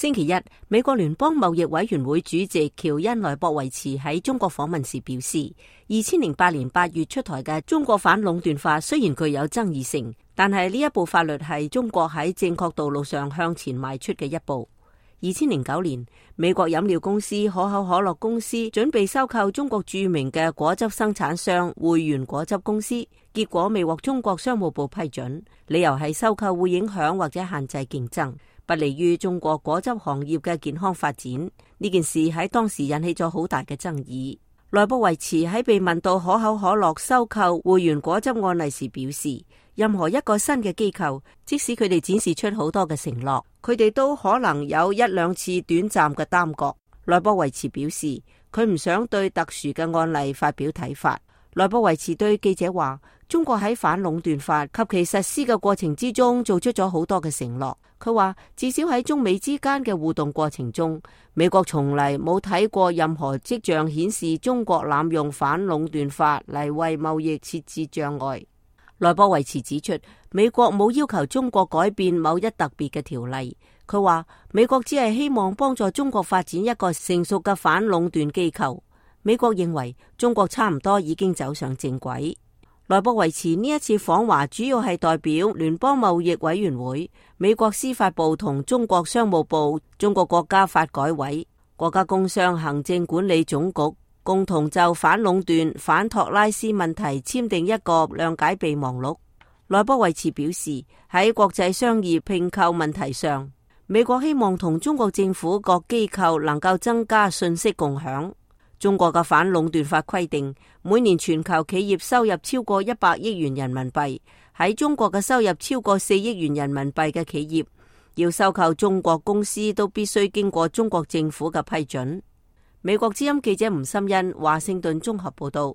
星期一，美國聯邦貿易委員會主席喬恩萊博維茨喺中國訪問時表示，2008年8月出台嘅中國反壟斷法雖然具有爭議性，但係呢一部法律係中國喺正確道路上向前邁出嘅一步。2009年，美國飲料公司可口可樂公司準備收購中國著名嘅果汁生產商匯源果汁公司，結果未獲中國商務部批准，理由係收購會影響或者限制競爭，不利於中國果汁行業嘅健康發展。呢件事喺當時引起咗好大嘅爭議。萊博維茨喺被問到可口可樂收購匯源果汁案例時表示，任何一個新嘅機構，即使佢哋展示出好多嘅承諾，佢哋都可能有一兩次短暫嘅耽擱。萊博維茨表示，佢唔想對特殊嘅案例發表睇法。萊博維茨對記者話，中國喺反壟斷法及其實施嘅過程之中做出咗好多嘅承諾。佢話，至少喺中美之間嘅互動過程中，美國從嚟冇睇過任何跡象顯示中國濫用反壟斷法嚟為貿易設置障礙。萊博維茨指出，美國冇要求中國改變某一特別嘅條例。佢話，美國只係希望幫助中國發展一個成熟嘅反壟斷機構。美國認為中國差唔多已經走上正軌。萊博維茨呢一次訪華主要係代表聯邦貿易委員會、美國司法部同中國商務部、中國國家發改委、國家工商行政管理總局共同就反壟斷、反托拉斯問題簽訂一個諒解備忘錄。萊博維茨表示，喺國際商業併購問題上，美國希望同中國政府各機構能夠增加信息共享。中國嘅反壟斷法規定，每年全球企業收入超過100億元人民幣，喺中國嘅收入超過4億元人民幣嘅企業，要收購中國公司都必須經過中國政府嘅批准。美國之音記者吳心欣華盛頓綜合報道。